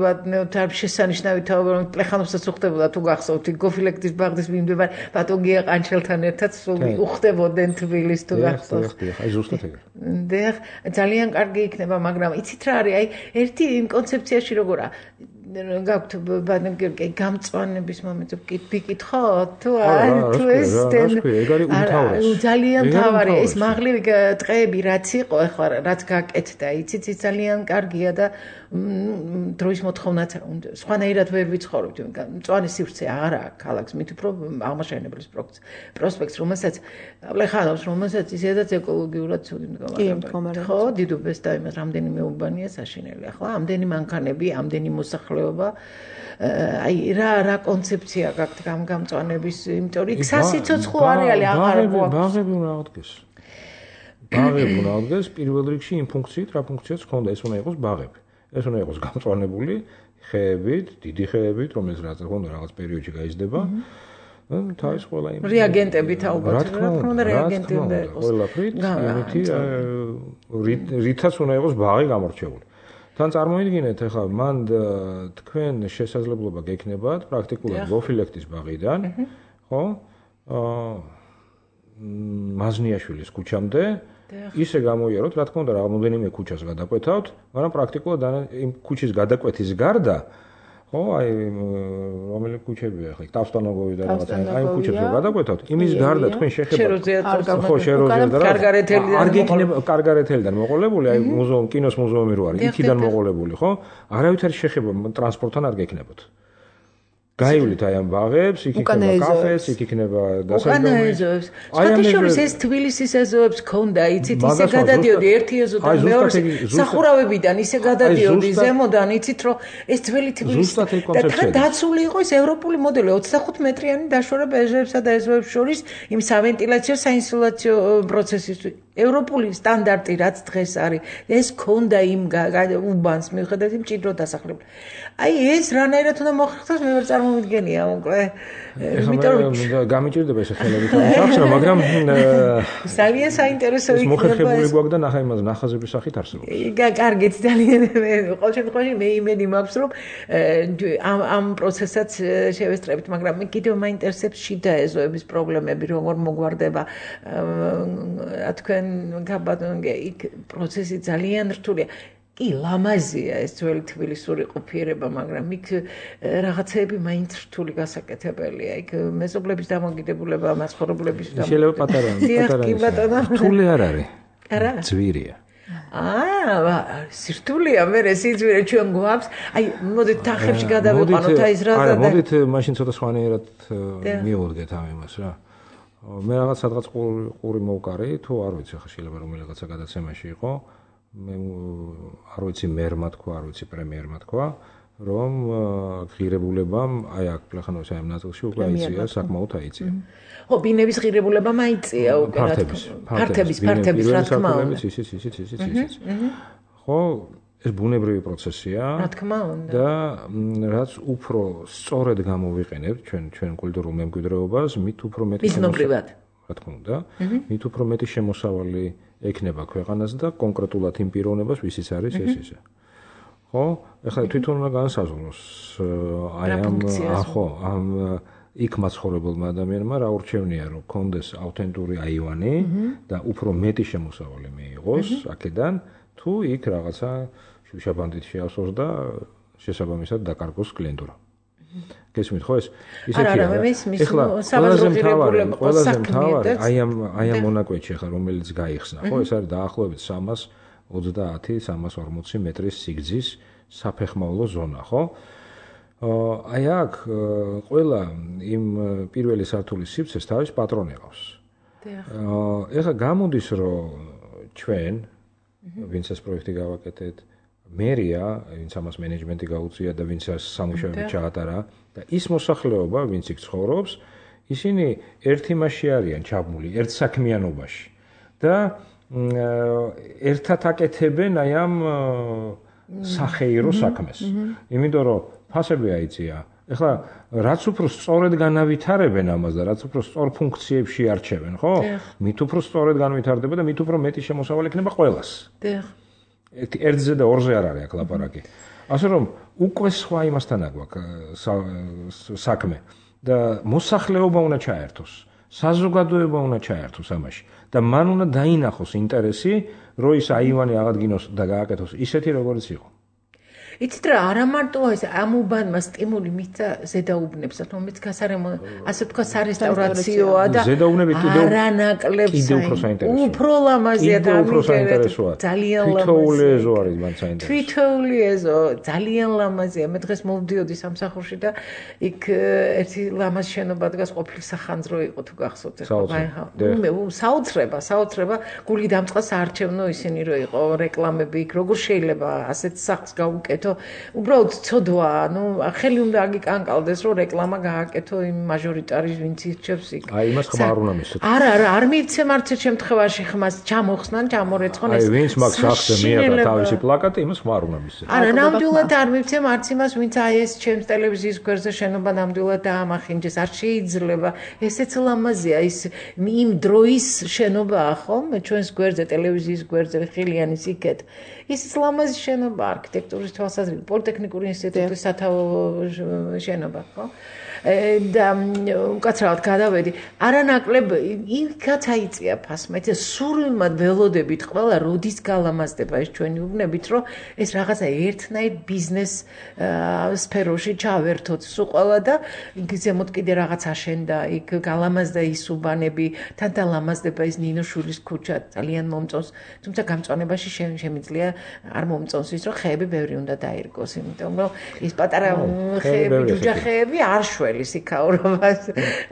შესანიშნავი თაობა, რომ პლეხანოვსაც უხდებოდა თუ გახსოვთ, გოფილექტის ბაღდის მიმდებარე ბატონგია ყანჩელთან ერთად სულ უხდებოდნენ თბილისს თუ გახსოვთ. აი ზუსტად ეგრე. დიახ, ძალიან კარგი იქნება, მაგრამ იცით რა არის? აი ერთი იმ კონცეფციაში როგორა გაქვთ ბანკი გამწვანების მომენტზე ვიკითხოთ თუ თუ ეს ძალიან თავარი ეს მაღლივი ტყეები რაც იყო ახლა რაც გაკეთდა იცით ის ძალიან კარგია და დროის მოთხოვნაც სხვანაირად ვერ ვიცხოვრობთ მწვანე სივრცე არ აქვს ქალაქს მით უფრო აღმაშენებლის პროსპექტს რომელსაც პლეხანოვს რომელსაც ისედაც ეკოლოგიურად ცუდი მდგომარეობა ხო დიდუბეს და იმას რამდენიმე უბანია საშინელი ახლა ამდენი მანქანები ამდენი მოსახლეობა აი რა კონცეფცია გაქვთ გამწვანების იმიტომ რომ იქ სასიცოცხლო არეალი აღარ გვაქვს ბაღები უნდა აღდგეს ბაღები უნდა აღდგეს პირველ რიგში იმ ფუნქციით რა ფუნქციაც ჰქონდა ეს უნდა იყოს ბაღები ეს უნდა იყოს გამწვანებული ხეებით დიდი ხეებით რომელიც რაღაც პერიოდში გაიზრდება თავის ყველა იმ რეაგენტებით ალბათ რა თქმა უნდა რეაგენტი უნდა იყოს ყველაფრით იმითი რითაც უნდა იყოს ბაღი გამორჩეული თან წარმოიდგინეთ ახლა მან თქვენ შესაძლებლობა გექნებათ პრაქტიკულად გოფილექტის ბაღიდან ხო მაზნიაშვილის ქუჩამდე ისე გამოიაროთ რა თქმა უნდა რამდენიმე ქუჩას გადაკვეთავთ მაგრამ პრაქტიკულად იმ ქუჩის გადაკვეთის გარდა ხო აი რომელი ქუჩებია ახლა ტავსტანოგოვი და რაღაცა აი ქუჩებს რო გადაკვეთავთ იმის გარდა თქვენ შეხებათ ხო შეროზიათ და კარგარეთელიდან მოყოლებული აი მუზეუმ კინოს მუზეუმი რო არის იქიდან მოყოლებული ხო არავითარი შეხება ტრანსპორტთან არ გექნებათ გაივლით აი ამ ბაღებს, იქ იქნება კაფეს, იქ იქნება დასაჯდომი. სხვათაშორის ეს თბილისის ეზოებს ქონდა, იცით, ისე გადადიოდი ერთი ეზოდან მეორეზე, სახურავებიდან ისე გადადიოდი ზემოდან, იცით, რომ ეს ძველი თბილისი და თან დაცული იყო ეს ევროპული მოდელი 25 მეტრიანი დაშორება ეზოებსა და ეზოებს შორის იმ სავენტილაციო საინსულაციო პროცესისთვის. ევროპული სტანდარტი რაც დღეს არის, ეს ქონდა იმ უბანს მიუხედავად იმ ჭიდრო დასახლებული. აი ეს რანაირად უნდა მოხერხდეს მე ვერ წარმოვიდგენია უკვე იმიტომ რომ გამიჭირდება ეს ხელები თავში მაგრამ ძალიან საინტერესო იქნება მოხერხებული გვაქვს და ნახა იმას ნახაზების სახით არსებობს კარგით ძალიან ყოველ შემთხვევაში მე იმედი მაქვს რომ ამ პროცესაც შევესწრებით მაგრამ მე კიდევ მაინტერესებს შიდა ეზოების პრობლემები როგორ მოგვარდება რა თქვენ გაბატონგე იქ პროცესი ძალიან რთულია კი ლამაზია ეს ძველი თბილისური ყოფიერება, მაგრამ იქ რაღაცეები მაინც რთული გასაკეთებელია. იქ მეზობლების დამოკიდებულება, მაცხოვრებლების შეიძლება პატარა რთული არ არის. არა? ძვირია. სირთულეა მე სიძვირე ჩვენ გვაქვს. აი, მოდით თახებში გადავიყვანოთ აი ეს რაღაცა. არა, მოდით მაშინ ცოტა სხვანაირად მივუდგეთ ამ იმას რა. მე რაღაც ყური მოვკარი, თუ არ ვიცი, ხა შეიძლება რომ რაღაცა გადაცემაში იყო. მე არ ვიცი მერმა თქვა, არ ვიცი პრემიერმა თქვა, რომ ღირებულებამ აი აქ პლეხანოვის ამ ნაწილში უკვე აიწია, საკმაოდ აიწია. ხო, ბინების ღირებულებამ აიწია უკვე რა თქმა უნდა. ფართების რა თქმა უნდა. ისიც. ხო, ეს ბუნებრივი პროცესია. რა თქმა უნდა. და რაც უფრო სწორედ გამოვიყენებთ ჩვენ კულტურულ მემკვიდრეობას, მით უფრო მეტი მიზნობრივად. რა თქმა უნდა, მით უფრო მეტი შემოსავალი ექნება ქვეყანას და კონკრეტულად იმ პიროვნებას, ვისიც არის ეს ისე. ხო? ეხლა თვითონ უნდა განსაზღვროს ამ იქ მაცხოვრებელმა ადამიანმა რა ურჩევნია, რომ კონდეს ავთენტური აივანი და უფრო მეტი შემოსავალი მიიღოს აქედან, თუ იქ რაღაცა შუშაბანდით შეასვოს და შესაბამისად დაკარგოს კლიენტურა. გესმით ხო ეს? ისეთი ეხლა ყველაზე მთავარი აი ამ მონაკვეთში ახლა რომელიც გაიხსნა, ხო, ეს არის დაახლოებით 330-340 მეტრის სიგრძის საფეხმავლო ზონა, ხო? აი აქ ყველა იმ პირველი სართულის სივრცეს თავის პატრონი ყავს. ეხლა გამოდის რომ ჩვენ ვინც ეს პროექტი გავაკეთეთ, მერია, ვინც ამას მენეჯმენტი გაუწია და ვინც სამუშაოები ჩაატარა და ის მოსახლეობა, ვინც იქ ცხოვრობს, ისინი ერთ იმაში არიან ჩაბმული, ერთ საქმიანობაში და ერთად აკეთებენ აი ამ სახეირო საქმეს. იმიტომ რომ ფასები აიწია. ეხლა რაც უფრო სწორედ განავითარებენ ამას და რაც უფრო სწორ ფუნქციებში არჩევენ, ხო? მით უფრო სწორედ განვითარდება და მით უფრო მეტი შემოსავალი ექნება ყველას. ერთზე და ორზე არ არის აქ ლაპარაკი. ასე რომ უკვე სხვა იმასთან აგვაქვს საქმე და მოსახლეობა უნდა ჩაერთოს, საზოგადოება უნდა ჩაერთოს ამაში და მან უნდა დაინახოს ინტერესი, რომ ის აივანი აღადგინოს და გააკეთოს ისეთი როგორც იყო. იცით რა, არა მარტო ეს ამ უბანმა სტიმული მისცა ზედაუბნებს, რომელიც გასარემონტო, ასე თქვა სარესტავრაციოა და არანაკლებს უფრო ლამაზია და ძალიან თითოეული ეზო არის მან საინტერესო. თითოეული ეზო ძალიან ლამაზია. მე დღეს მოვდიოდი სამსახურში და იქ ერთი ლამაზ შენობა დგას, ყოფილი სახანძრო იყო თუ გახსოვთ ახლა. საოცრება, გული დამწყას არჩევნო ისინი რო იყო რეკლამები იქ, როგორ შეიძლება ასეთ სახლს გაუკეთო. უბრალოდ ცოდვა, ხელი უნდა აგიკანკალდეს, რომ რეკლამა გააკეთო იმ მაჟორიტარის ვინც ირჩევს იქ. აი, იმას ხმა არ უნდა მისცეთ. არა, არ მივცემ არც ერთ შემთხვევაში ხმას, ჩამოხსნან, ჩამორეცხონ ეს. აი, ვინც მაგ სახზე მიიღო თავისი პლაკატი, იმას ხმა არ უნდა მისცეთ. არა, ნამდვილად არ მივცემ არც იმას, ვინც აი ეს ჩემს ტელევიზიის გვერდზე შენობა ნამდვილად დაამახინჯეს. არ შეიძლება. ესეც ლამაზია, ის იმ დროის შენობაა, ხო? მე ჩვენს გვერდზე, ტელევიზიის გვერდზე, ხილიანის იქეთ. ის ლამაზი შენობა არქიტექტურის თვალსაზრისით, პოლიტექნიკური ინსტიტუტის სათავო შენობა, ხო? და უკაცრავად გადავედი. არანაკლებ იქაც აიწია ფასმა. სურვილმად ველოდებით ყველა როდის გალამაზდება ეს ჩვენი უბნებით, რომ ეს რაღაცა ერთნაირ ბიზნეს სფეროში ჩავერთოთ სულ ყველა და იქ ზემოთ კიდე რაღაც აშენდა, იქ გალამაზდა ის უბანები, თან დალამაზდება ის ნინოშვილის ქუჩა, ძალიან მომწონს. თუმცა გამწვანებაში შემიძლია არ მომწონს ის, რომ ხეები ბევრი უნდა დაირგოს, იმიტომ რომ ის პატარა ხეები, ჯუჯახეები არ შველის იქაურობას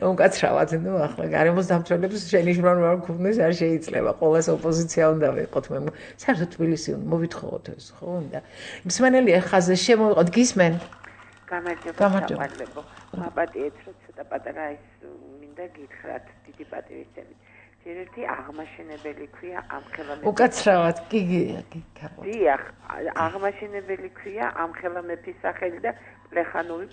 უკაცრავად, ახლა გარემოს დამცველებს შენიშვნან არ გქონდეს, არ შეიძლება, ყოველას ოპოზიცია უნდა ვიყოთ, მე საერთოდ თბილისი უნდა მოვითხოვოთ ეს, ხო უნდა. მსმენელია ხაზზე შემოვიყოთ, გისმენ? გამარჯობა. მაპატიეთ, რომ ცოტა პატარა ის მინდა გითხრათ, დიდი პატივისცემით. ერთი აღმაშენებელი ქვია ამხელა მეფის. უკაცრავად, კი. დიახ, აღმაშენებელი ქვია ამხელა მეფის სახელი და პლეხანოვი,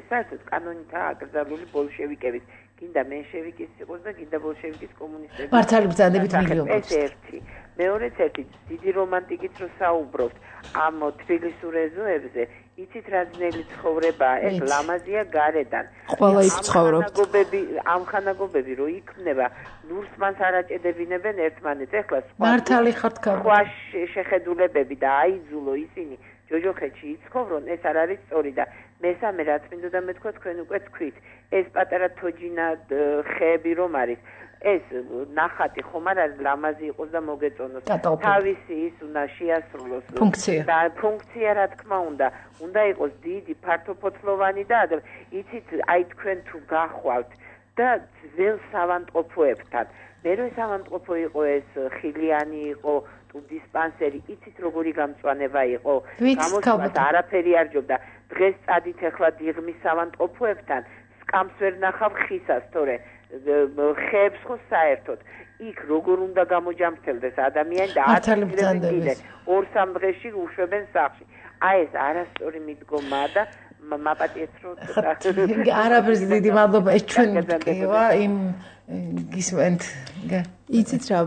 საერთოდ კანონითაა აკრძალული ბოლშევიკების. გინდა მენშევიკის იყოს და გინდა ბოლშევიკის კომუნისტების. მართალი ბრძანდებით მილიონს. ეს ერთი. მეორეც ერთი, დიდი რომანტიკით რო საუბრობთ ამ თბილისურ ეზოებზე, იცით რა ძნელი ცხოვრებაა, ეს ლამაზია გარედან. ყველა იქ ცხოვრობთ. ამ ხანაგობები რო იქმნება, ნურს მას არ აჭედებინებენ ერთმანეთს. ეხლა მართალი ხართ სხვა შეხედულებები და აიძულო ისინი ჯოჯოხეთში იცხოვრონ, ეს არ არის სწორი და მესამე რაც მინდოდა მეთქვა, თქვენ უკვე თქვით, ეს პატარა თოჯინა ხეები რომ არის, ეს ნახატი ხომ არ არის ლამაზი იყოს და მოგეწონოს. თავისი ის უნდა შეასრულოს და ფუნქცია რა თქმა უნდა იყოს დიდი, ფართოფოთლოვანი და იცით, აი თქვენ თუ გახვალთ და ძველ სავანტყოფოებთან. მერე სავანტყოფო იყო ეს ხილიანი იყო დისპანსერი, იცით როგორი გამწვანება იყო, გამოსვლას არაფერი არ ჯობდა. დღეს წადით ახლა დიღმის სავანტყოფოებთან, სკამს ვერ ნახავ ხისას, თორე ხეებს ხო საერთოდ იქ როგორ უნდა გამოჯამრთელდეს ადამიანი და მართალმბრძანდების 2-3 დღეში უშვებენ სახლში. აი ეს არასწორი მიდგომაა და მაპატიეთ რომ არაფერს დიდი მადლობა ეს ჩვენ გიყვა იმ გისმენთ იცით რა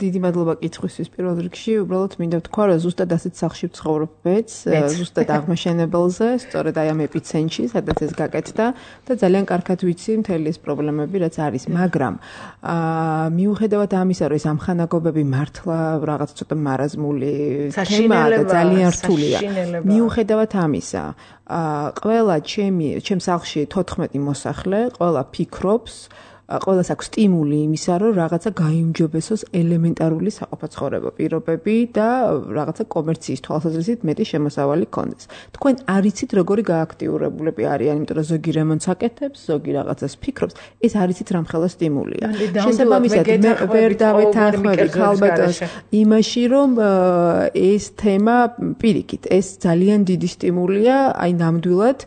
დიდი მადლობა კითხვისთვის პირველ რიგში უბრალოდ მინდა ვთქვა რომ ზუსტად ასეთ სახლში ვცხოვრობ მეც ზუსტად აღმაშენებელზე სწორედ აი ამ ეპიცენტრში სადაც ეს გაკეთდა და ძალიან კარგად ვიცი მთელი ეს პრობლემები რაც არის მაგრამ მიუხედავად ამისა რომ ეს ამხანაგობები მართლა რაღაც ცოტა მარაზმული თემაა და ძალიან რთულია მიუხედავად ამისა ყველა ჩემ სახლში 14 მოსახლე ყველა ფიქრობს ყველას აქვს სტიმული იმისა, რომ რაღაცა გაიმჯობესოს ელემენტარული საყოფაცხოვრებო პირობები და რაღაცა კომერციის თვალსაზრისით მეტი შემოსავალი ქონდეს. თქვენ არიცით როგორი გააქტიურებულები არიან, იმიტომ რომ ზოგი რემონტს აკეთებს, ზოგი რაღაცას ფიქრობს, ეს არიცით რამხელა სტიმულია. შესაბამისად, მე ვერ დავეთანხმები ხალბატონს იმაში, რომ ეს თემა პირიქით, ეს ძალიან დიდი სტიმულია, აი ნამდვილად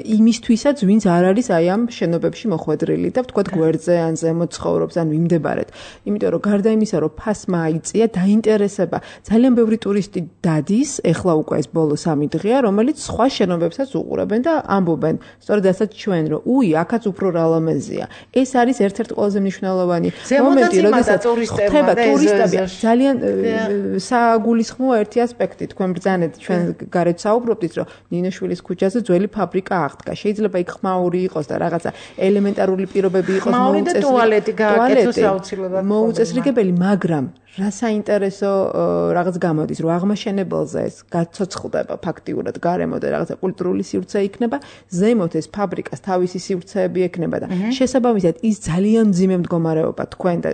იმისთვისაც, ვინც არ არის აი ამ შენობებში მოხვედრილი და ვთქვათ გვერდზე ან ზემოთ ცხოვრობს ან ვიმდებარეთ. იმიტომ რომ გარდა იმისა, რომ ფასმა აიწია, დაინტერესება ძალიან ბევრი ტურისტი დადის, ეხლა უკვე ეს ბოლო 3 დღეა, რომელიც სხვა შენობებსაც უყურებენ და ამბობენ, სწორედ ასაც ჩვენ, რომ უი, აქაც უფრო რალამეზია. ეს არის ერთ-ერთი ყველაზე მნიშვნელოვანი მომენტი, როდესაც ხდება ტურისტები. ძალიან საგულისხმოა ერთი ასპექტი, თქვენ ბრძანეთ, ჩვენ გარეთ საუბრობდით, რომ ნინოშვილის ქუჩაზე ძველი ფაბრიკა აღდგა. შეიძლება იქ ხმაური იყოს და რაღაცა ელემენტარული პირობები იყოს მოუწესრიგებელი, მაგრამ რა საინტერესო რაღაც გამოდის, რომ აღმაშენებელზე ეს გაცოცხლდება ფაქტიურად გარემო და რაღაცა კულტურული სივრცე იქნება, ზემოთ ეს ფაბრიკას თავისი სივრცეები ექნება და შესაბამისად ის ძალიან მძიმე მდგომარეობა თქვენ და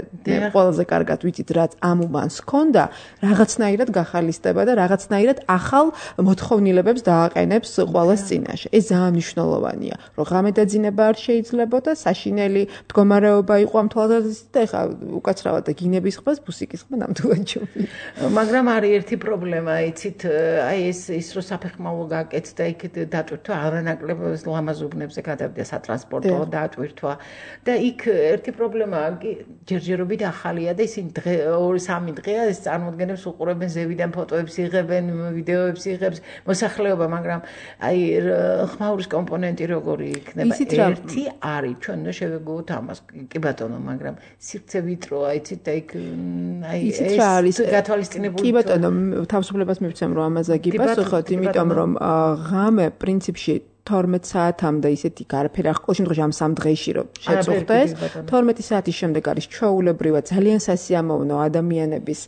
ყველაზე კარგად ვიცით, რაც ამ უბანს ჰქონდა, რაღაცნაირად გახალისდება და რაღაცნაირად ახალ მოთხოვნილებებს დააყენებს ყველას წინაშე. ეს ძალიან მნიშვნელოვანია, რომ ღამე დაძინება არ შეიძლებოდა, საშინელი მდგომარეობა იყო ამ თვალსაზრისით და ეხლა უკაცრავად და გინების ხმას ბუსიკის ნამდვილად ჯობია. მაგრამ არის ერთი პრობლემა, იცით, აი ის რო საფეხმავლო გააკეთდა, იქ დატვირთვა არანაკლებ ლამაზუბნებზე გადავიდა სატრანსპორტო დატვირთვა და იქ ერთი პრობლემაა, ჯერჯერობით ახალია და ისინი 2-3 დღეა ეს წარმოადგენებს უყურებენ ზევიდან ფოტოებს იღებენ, ვიდეოებს იღებს მოსახლეობა, მაგრამ აი ხმაურის კომპონენტი როგორი იქნება? ერთი არის, ჩვენ უნდა შევეგუოთ ამას, კი ბატონო, მაგრამ სივრცე ვიტროა, იცით და იქ აი იცით რა არის გათვალისწინებული კი ბატონო თავისუფლებას მივცემ რომ ამაზე გიპასუხოთ იმიტომ რომ ღამე პრინციპში 12 საათამდე ისეთი არაფერი არ ყოველ შემთხვევაში ამ 3 დღეში რომ შეწუხდეს 12 საათის შემდეგ არის ჩვეულებრივად ძალიან სასიამოვნო ადამიანების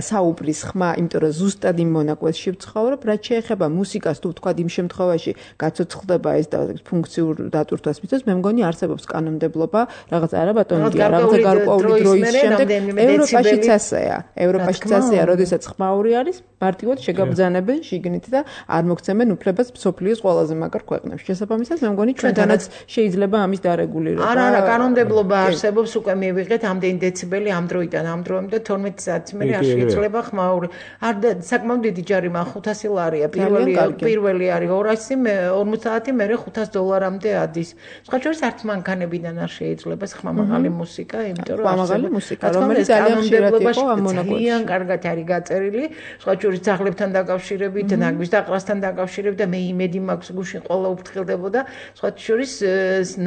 საუბრის ხმა, იმიტომ რომ ზუსტად იმ მონაკვეთში ვცხოვრობ, რაც შეეხება მუსიკას თუ ვთქვა იმ შემთხვევაში გაცოცხლდება ეს და ფუნქციურ დატვირთვას მისცემს, მე მგონი არსებობს კანონმდებლობა, რაღაც არა ბატონია, რაღაც გარკვეული დროის შემდეგ ევროპაშიც ასეა. ევროპაშიც ასეა, როდესაც ხმაური არის, მარტივად შეგაბრძანებენ შიგნით და არ მოგცემენ უფლებას მსოფლიოს ყველაზე მაგარ ქვეყნებში. შესაბამისად, მე მგონი ჩვენთანაც შეიძლება ამის დარეგულირება. არა, კანონმდებლობა არსებობს, უკვე მივიღეთ ამდენი დეციბელი ამ დროიდან ამ დროამდე 12 საათი მე არ შეიძლება ხმაური. არ საკმაოდ დიდი ჯარი მაგ 500 ლარია. პირველი არის 200, მე 50, მე $500-მდე ადის. სხვა შორის არც მანქანებიდან არ შეიძლება ხმამაღალი მუსიკა, იმიტომ რომ ხმამაღალი მუსიკა, რომელიც ძალიან ხშირად იყო ამ მონაკვეთში. ძალიან კარგად არის გაწერილი, სხვა შორის ძაღლებთან დაკავშირებით, ნაგვის დაყრასთან დაკავშირებით და მე იმედი მაქვს გუშინ ყველა უფრთხილდებოდა, სხვა შორის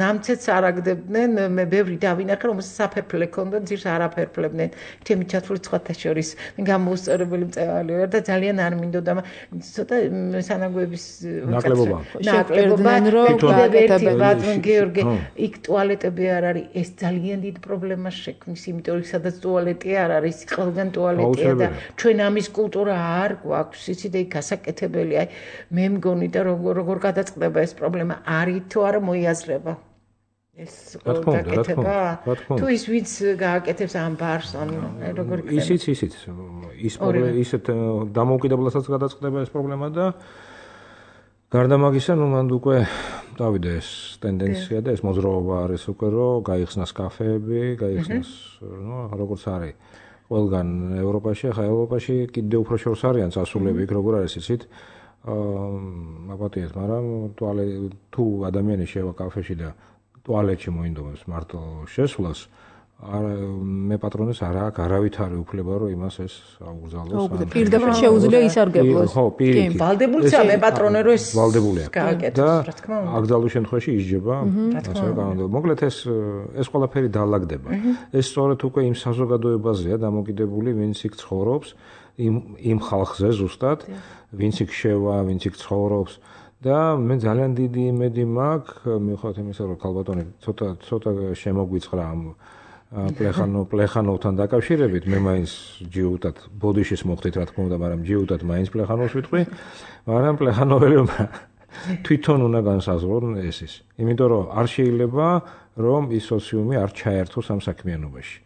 ნამცეთს არ აგდებდნენ, მე ბევრი დავინახე, რომელსაც საფერფლე ჰქონდა, ძირს არაფერფლებდნენ. თემი ჩათვლით სხვათა შორის, მე გამოუსწორებელი მწევალი ვარ და ძალიან არ მინდოდა, ცოტა სანაგვების ნაკლებობა, ბატონ გიორგი, იქ ტუალეტები არ არის, ეს ძალიან დიდ პრობლემას შექმნის, იმიტომ რომ სადაც ტუალეტი არ არის, ყველგან ტუალეტია და ჩვენ ამის კულტურა არ გვაქვს, იცი და იქ გასაკეთებელი, აი მე მგონი და როგორ გადაწყდება ეს პრობლემა არის თუ არა მოიაზრება ეს გაკეთება თუ ის ვინც გააკეთებს ამ ბარს ან როგორ იქნება ისიც ისეთ დამოუკიდებლასაც გადაწყდება ეს პრობლემა და გარდა მაგისა ნუ მანდ უკვე დავიდა ეს ტენდენცია და ეს მოძრაობა არის უკვე რომ გაიხსნას კაფეები გაიხსნას ნუ როგორც არის ყველგან ევროპაში ახლა ევროპაში კიდევ უფრო შორს არიან წასულები იქ როგორ არის იცით მაპატიეთ, მაგრამ თუ ადამიანი შევა კაფეში და ტუალეტში მოინდომებს მარტო შესვლას მე პატრონეს არ აქვს არავითარი უფლება რომ იმას ეს აუგზავნოს. პირდაპირ შეუძლია ისარგებლოს. ხო, კი, ვალდებულია მე პატრონე რომ ეს ვალდებულია. გააკეთოს, რა თქმა უნდა. აკრძალვის შემთხვევაში ისჯება, ასე განმარტო. მოკლედ ეს ყველაფერი დაალაგდება. ეს სწორედ უკვე იმ საზოგადოებაზეა დამოკიდებული, ვინც იქ ცხოვრობს, იმ ხალხზე ზუსტად, ვინც იქ შევა, ვინც იქ ცხოვრობს. და მე ძალიან დიდი იმედი მაქვს, მიუხედავად იმისა, რომ ქალბატონი ცოტა შემოგვიწყრა ამ პლეხანოვთან დაკავშირებით, მე მაინც ჯიუტად ბოდიშის მოხდით, რა თქმა უნდა, მაგრამ ჯიუტად მაინც პლეხანოვს ვიტყვი, მაგრამ პლეხანოველმა თვითონ უნდა განსაზღვრონ ეს. იმიტომ რომ არ შეიძლება რომ ის სოციუმი არ ჩაერთოს ამ საქმიანობაში.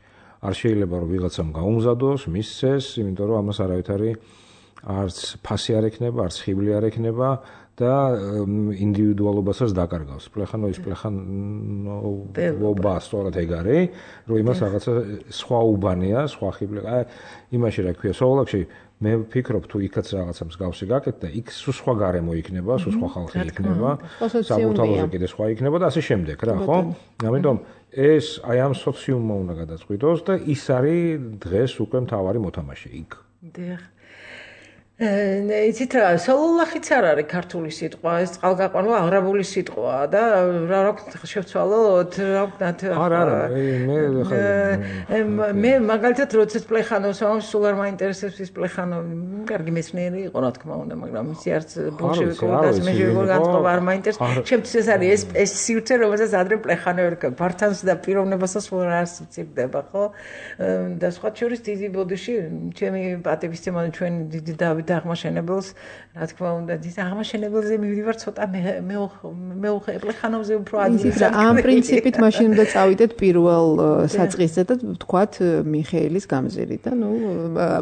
არ შეიძლება რომ ვიღაცამ გაუმზადოს, მისცეს, იმიტომ რომ ამას არავითარი არც ფასი არ ექნება, არც ხიბლი არ ექნება და ინდივიდუალობასაც დაკარგავს. პლეხანოვის პლეხანობა სწორად ეგ არის, რომ იმას რაღაცა სხვა უბანია, სხვა ხიბლი. იმაში რა ქვია, სოვლაკში მე ვფიქრობ თუ იქაც რაღაცა მსგავსი გაკეთდა, იქ სხვა გარემო იქნება, სხვა ხალხი იქნება, საბუთალოზე კიდე სხვა იქნება და ასე შემდეგ, რა, ხო? ამიტომ ეს აი ამ სოციუმმა უნდა გადაწყვიტოს და ის არის დღეს უკვე მთავარი მოთამაშე იქ. დიახ. იცით რა, სოლოლახიც არ არის ქართული სიტყვა, ეს წყალგაყვანვა აღრაბული სიტყვაა და რა ვქნა შევცვალოთ, რა ვქნათ. არა, მე მაგალითად როდესაც პლეხანოვს სულ არ მაინტერესებს ის პლეხანოვი, კარგი მეცნიერი იყო რა თქმა უნდა, მაგრამ ისი არც ბოლშევიკური და მეშევიკური განწყობა არ მაინტერესებს. ჩემთვის ეს არის ეს სივრცე, რომელსაც ადრე პლეხანოვი ბართანს და პიროვნებასაც არ სცირდება, ხო? და სხვა შორის დიდი ბოდიში, ჩემი პატივისცემა ჩვენ დიდი დავით აღმაშენებელს, რა თქმა უნდა, ის აღმაშენებელზე მივიდივარ ცოტა მე პლეხანოვზე უფრო ადვილი. ამ პრინციპით მაშინ უნდა წავიდეთ პირველ საწყისზე და ვთქვათ მიხეილის გამზირი და ნუ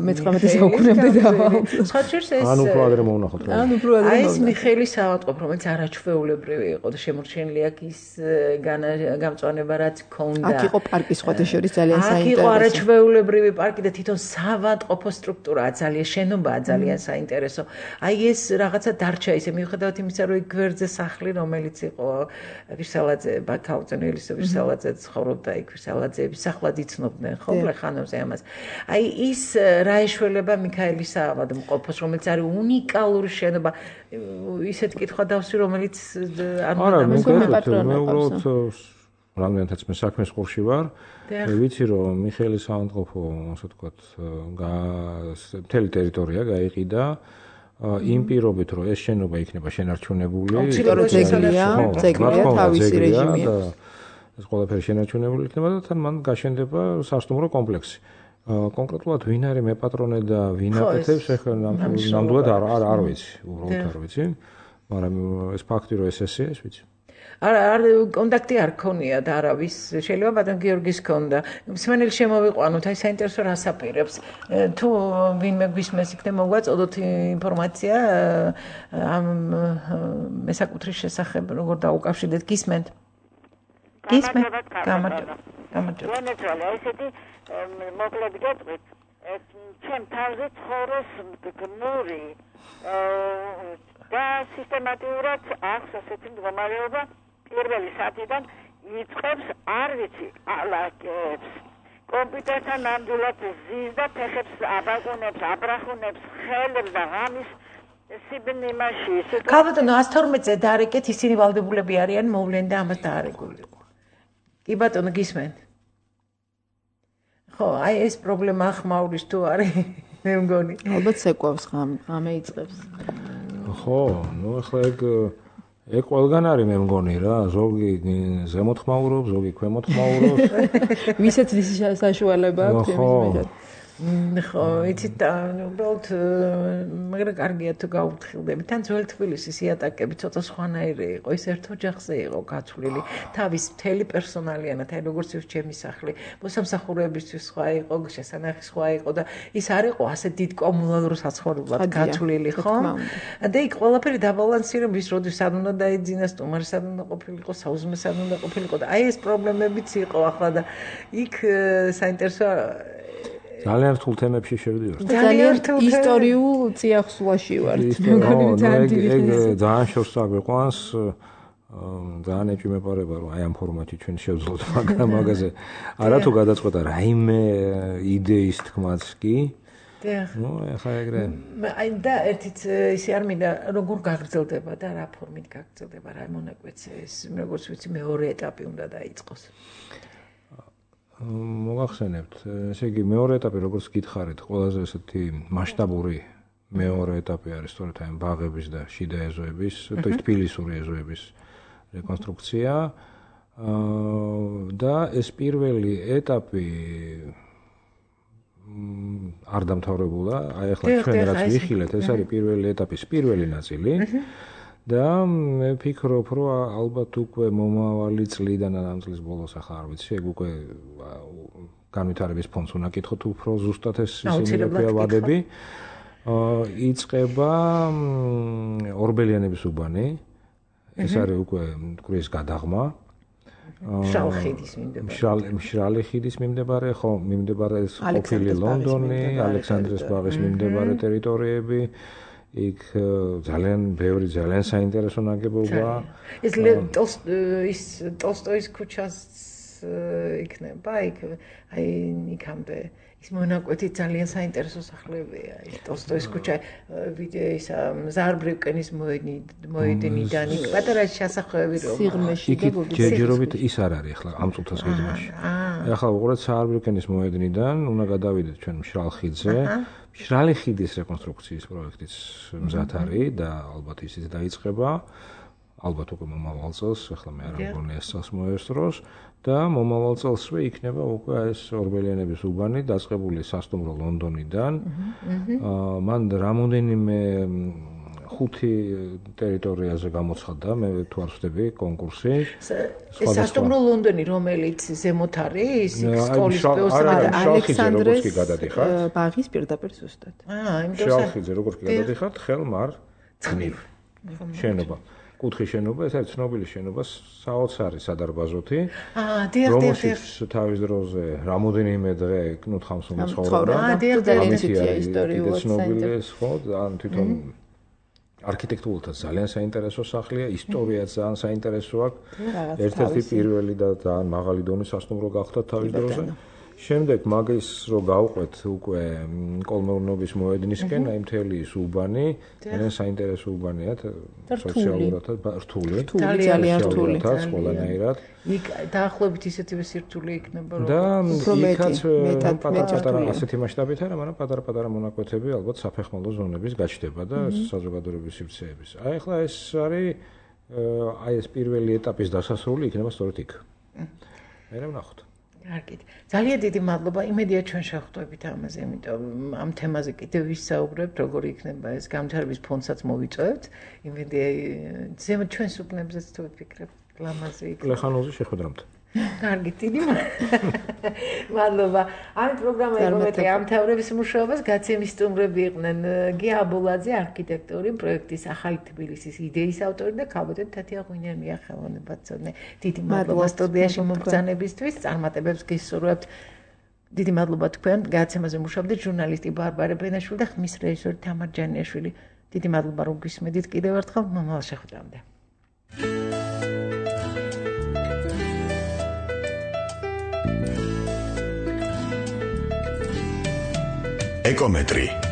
მე-19 საუკუნემდე დავალთ. სხვა შორის ეს ან უფრო ადრე მოვნახოთ. აი ეს მიხეილის ავადმყოფ, რომელიც არაჩვეულებრივი იყო და შემორჩენილი აქ ის გამწვანება რაც ჰქონდა. აქ იყო პარკი სხვათა შორის ძალიან საინტერესო. აქ იყო არაჩვეულებრივი პარკი და თვითონ საავადმყოფო სტრუქტურაა, ძალიან შენობაა, ძალიან საინტერესო. აი ეს რაღაცა დარჩა ისე მიუხედავად იმისა, რომ გვერდზე სახლი, რომელიც იყო ვირსალაძე, ბაქაუძენელის ვირსალაძე ცხოვრობდა იქ, ვირსალაძეების სახლად იცნობდნენ, ხო, პლეხანოვზე ამას. აი ის რა ეშველება მიქაელის საავადმყოფოს, რომელიც არის უნიკალური შენობა, ისეთ კითხვა დავსვი, რომელიც არ მე უბრალოდ რამდენადაც მე საქმის ყურში ვარ, ვიცი რომ მიხეილის საავადმყოფო, ასე ვთქვათ, მთელი ტერიტორია გაიყიდა იმ პირობით, რომ ეს შენობა იქნება შენარჩუნებული. ძეგლია თავისი რეჟიმი. ეს ყველაფერი შენარჩუნებული იქნება და თან მან გაშენდება სასტუმრო კომპლექსი. კონკრეტულად ვინ არის მე პატრონე და ვინ აკეთებს, ეხლა ნამდვილად არ ვიცი, უბრალოდ არ ვიცი, მაგრამ ეს ფაქტი რომ ეს ვიცი. არ კონტაქტი არ ქონია და არავის შეიძლება ბატონ გიორგის ქონდა. მსმენელი შემოვიყვანოთ, აი საინტერესო რას აპირებს. თუ ვინმე გვისმენს იქნება მოგვაწოდოთ ინფორმაცია ამ მესაკუთრის შესახებ, როგორ დაუკავშირდეთ გისმენთ. გამარჯობა. ვენეცუელა ესეთი მოკლედ გეტყვით. ჩემ თავზე ცხოვრობს გმური და სისტემატურად აქვს ასეთი მდგომარეობა პირველი საათიდან იწყებს არ ვიცი ალაგებს კომპიუტერთან ნამდვილად ზის და ფეხებს აბაგუნებს აბრახუნებს ხელებს და ღამის სიბნიმაში ქალბატონო 112-ზე დაარეკეთ ისინი ვალდებულები არიან მოვლენ და ამას დაარეკულიყო კი ბატონო გისმენთ ხო აი ეს პრობლემა ხმაურის თუ არის მე მგონი ალბათ ცეკვავს ღამე იწყებს ხო ნუ ახლა ეგ ყველგან არის მე მგონი რა ზოგი ზემოთ ხმაურობს ზოგი ქვემოთ ხმაურობს ვისაც ვის საშუალება აქვს იმის მიხედვით ხო იცით უბრალოდ მაგრამ კარგია თუ გაუფრთხილდები თან ძველ თბილისის იატაკები ცოტა სხვანაირი იყო ის ერთ ოჯახზე იყო გაცვლილი თავის მთელი პერსონალიანად აი როგორც ის ჩემი სახლი მოსამსახურეებისთვის სხვა იყო შესანახი სხვა იყო და ის არ იყო ასე დიდ კომუნალურ საცხოვრებლად გაცვლილი ხო და იქ ყველაფერი დაბალანსირების როდის სად უნდა დაიძინა სტუმარი სად უნდა ყოფილიყო საუზმე სად უნდა ყოფილიყო და აი ეს პრობლემებიც იყო ახლა და იქ საინტერესო ძალიან რთულ თემებში შევდივართ. ძალიან ისტორიულ წიაღსვლაში ვართ. მეგონი ძალიან დიდი ძალიან შორს აგვიყვანს ძალიან ეჭვმეპარება რომ აი ამ ფორმატში ჩვენ შევძლოთ მაგაზე არათუ გადაწყვეტა რაიმე იდეის თქმაც კი ნუ ახლა ეგრე აი და ერთიც ისე არ მინდა როგორ გაგრძელდება და რა ფორმით გაგრძელდება რა მონაკვეთზე ეს როგორც ვიცი მეორე ეტაპი უნდა დაიწყოს მოგახსენებთ ესე იგი მეორე ეტაპი როგორც გითხარით ყველაზე ესეთი მასშტაბური მეორე ეტაპი არის სწორედ აი ბაღების და შიდა ეზოების თბილისური ეზოების რეკონსტრუქცია და ეს პირველი ეტაპი არ დამთავრებულა, აი ახლა ჩვენ რაც ვიხილეთ, ეს არის პირველი ეტაპის პირველი ნაწილი და მე ვფიქრობ, რომ ალბათ უკვე მომავალი წლიდან ან ამ წლის ბოლოს ახლა არ ვიცი, ეგ უკვე განვითარების ფონდს უნდა კითხოთ უფრო ზუსტად ეს ისინი ვადები. იწყება ორბელიანების უბანი. ეს არის უკვე მტკვრის გადაღმა. მშრალი ხიდის მიმდებარე, ხო, მიმდებარე ყოფილი ლონდონი, ალექსანდრეს ბაღის მიმდებარე ტერიტორიები. იქ ძალიან ბევრი ძალიან საინტერესო ნაგებობაა. ეს ტოლსტოის ქუჩას იქნება, იქ აი იქამდე ის მონაკვეთი ძალიან საინტერესო სახლებია. ის ტოლსტოის ქუჩა ვიდეოს ზარბრევკენის მოედნიდან იქ პატარა შესახვევი რომ სიღრმეში და ჯერჯერობით ის არ არის ახლა ამ წუთას გეგმაში. ახლა უყურეთ ზარბრევკენის მოედნიდან უნდა გადავიდეთ ჩვენ მშრალ ხიდზე. მშრალი ხიდის რეკონსტრუქციის პროექტიც მზად არის და ალბათ ისიც დაიწყება. ალბათ უკვე მომავალ წელს, ახლა მე არ მგონია ეს წელს მოესწროს და მომავალ წელსვე იქნება უკვე ეს ორბელიანების უბანი დაწყებული სასტუმრო ლონდონიდან. მან რამოდენიმე 5 ტერიტორიაზე გამოცხადდა, მე თუ არ ვხდები კონკურსი. ეს სასტუმრო ლონდონი რომელიც ზემოთ არის, სკოლის ალექსანდრეს ბაღის პირდაპირ ზუსტად. იმიტომ შალხიძე როგორც კი გადადიხართ, ხელმარ ძნივ შენობა. კუთხის შენობა, ეს არის ცნობილი შენობა, საოცარი სადარბაზოთი. რომელშიც თავის დროზე რამოდენიმე დღე კნუთხამს უნდა ცხოვრობდა. ძალიან ცუდია ისტორიულად ცნობილი ხო, ან თვითონ არქიტექტურულად ძალიან საინტერესო სახლია, ისტორიაც ძალიან საინტერესო აქვს. ერთ-ერთი პირველი და ძალიან მაღალი დონის სასტუმრო გახდა თავის დროზე. შემდეგ მაგის რო გავყვეთ უკვე კოლმეურნობის მოედნისკენ, აი მთელი ის უბანი, ძალიან საინტერესო უბანია, სოციალურად რთული, ძალიან რთული, ყველანაირად. იქ დაახლოებით ისეთივე სირთულე იქნება, რომ უფრო პატარა ასეთი მასშტაბით არა, მაგრამ პატარა მონაკვეთები ალბათ საფეხმავლო ზონების გაჩნდება და საზოგადოების სივრცეების. აი ახლა ეს არის აი ეს პირველი ეტაპის დასასრული იქნება სწორედ იქ. მე ვნახოთ. კარგით. ძალიან დიდი მადლობა. იმედია ჩვენ შევხვდებით ამაზე, იმიტომ ამ თემაზე კიდევ ვისაუბრებთ, როგორ იქნება ეს განვითარების ფონდსაც მოვიწევთ. იმედია ზემოთ ჩვენს უბნებზეც თუ ვფიქრებთ, ლამაზი იქნება. ლეხანოზე შეხვედრამდე. კარგით, დიდი მადლობა. ამ პროგრამაზე ამთავრების მუშაობას გაცემის სტუმრები იყვნენ გია აბულაძე, არქიტექტორი, პროექტის ახალი თბილისის იდეის ავტორი და ქალბატონ თათია ღვინერმია ხელოვნებაცოდნე. დიდი მადლობა სტუდიაში მომბრძანებისთვის, წარმატებებს გისურვებთ. დიდი მადლობა თქვენ. გაცემაზე მუშაობდით ჟურნალისტი ბარბარე ბენაშვილი და ხმის რეჟისორი თამარ ჯანიაშვილი. დიდი მადლობა რომ გისმედით კიდევ ერთხელ. მომავალ შეხვედრამდე. ეკომეტრი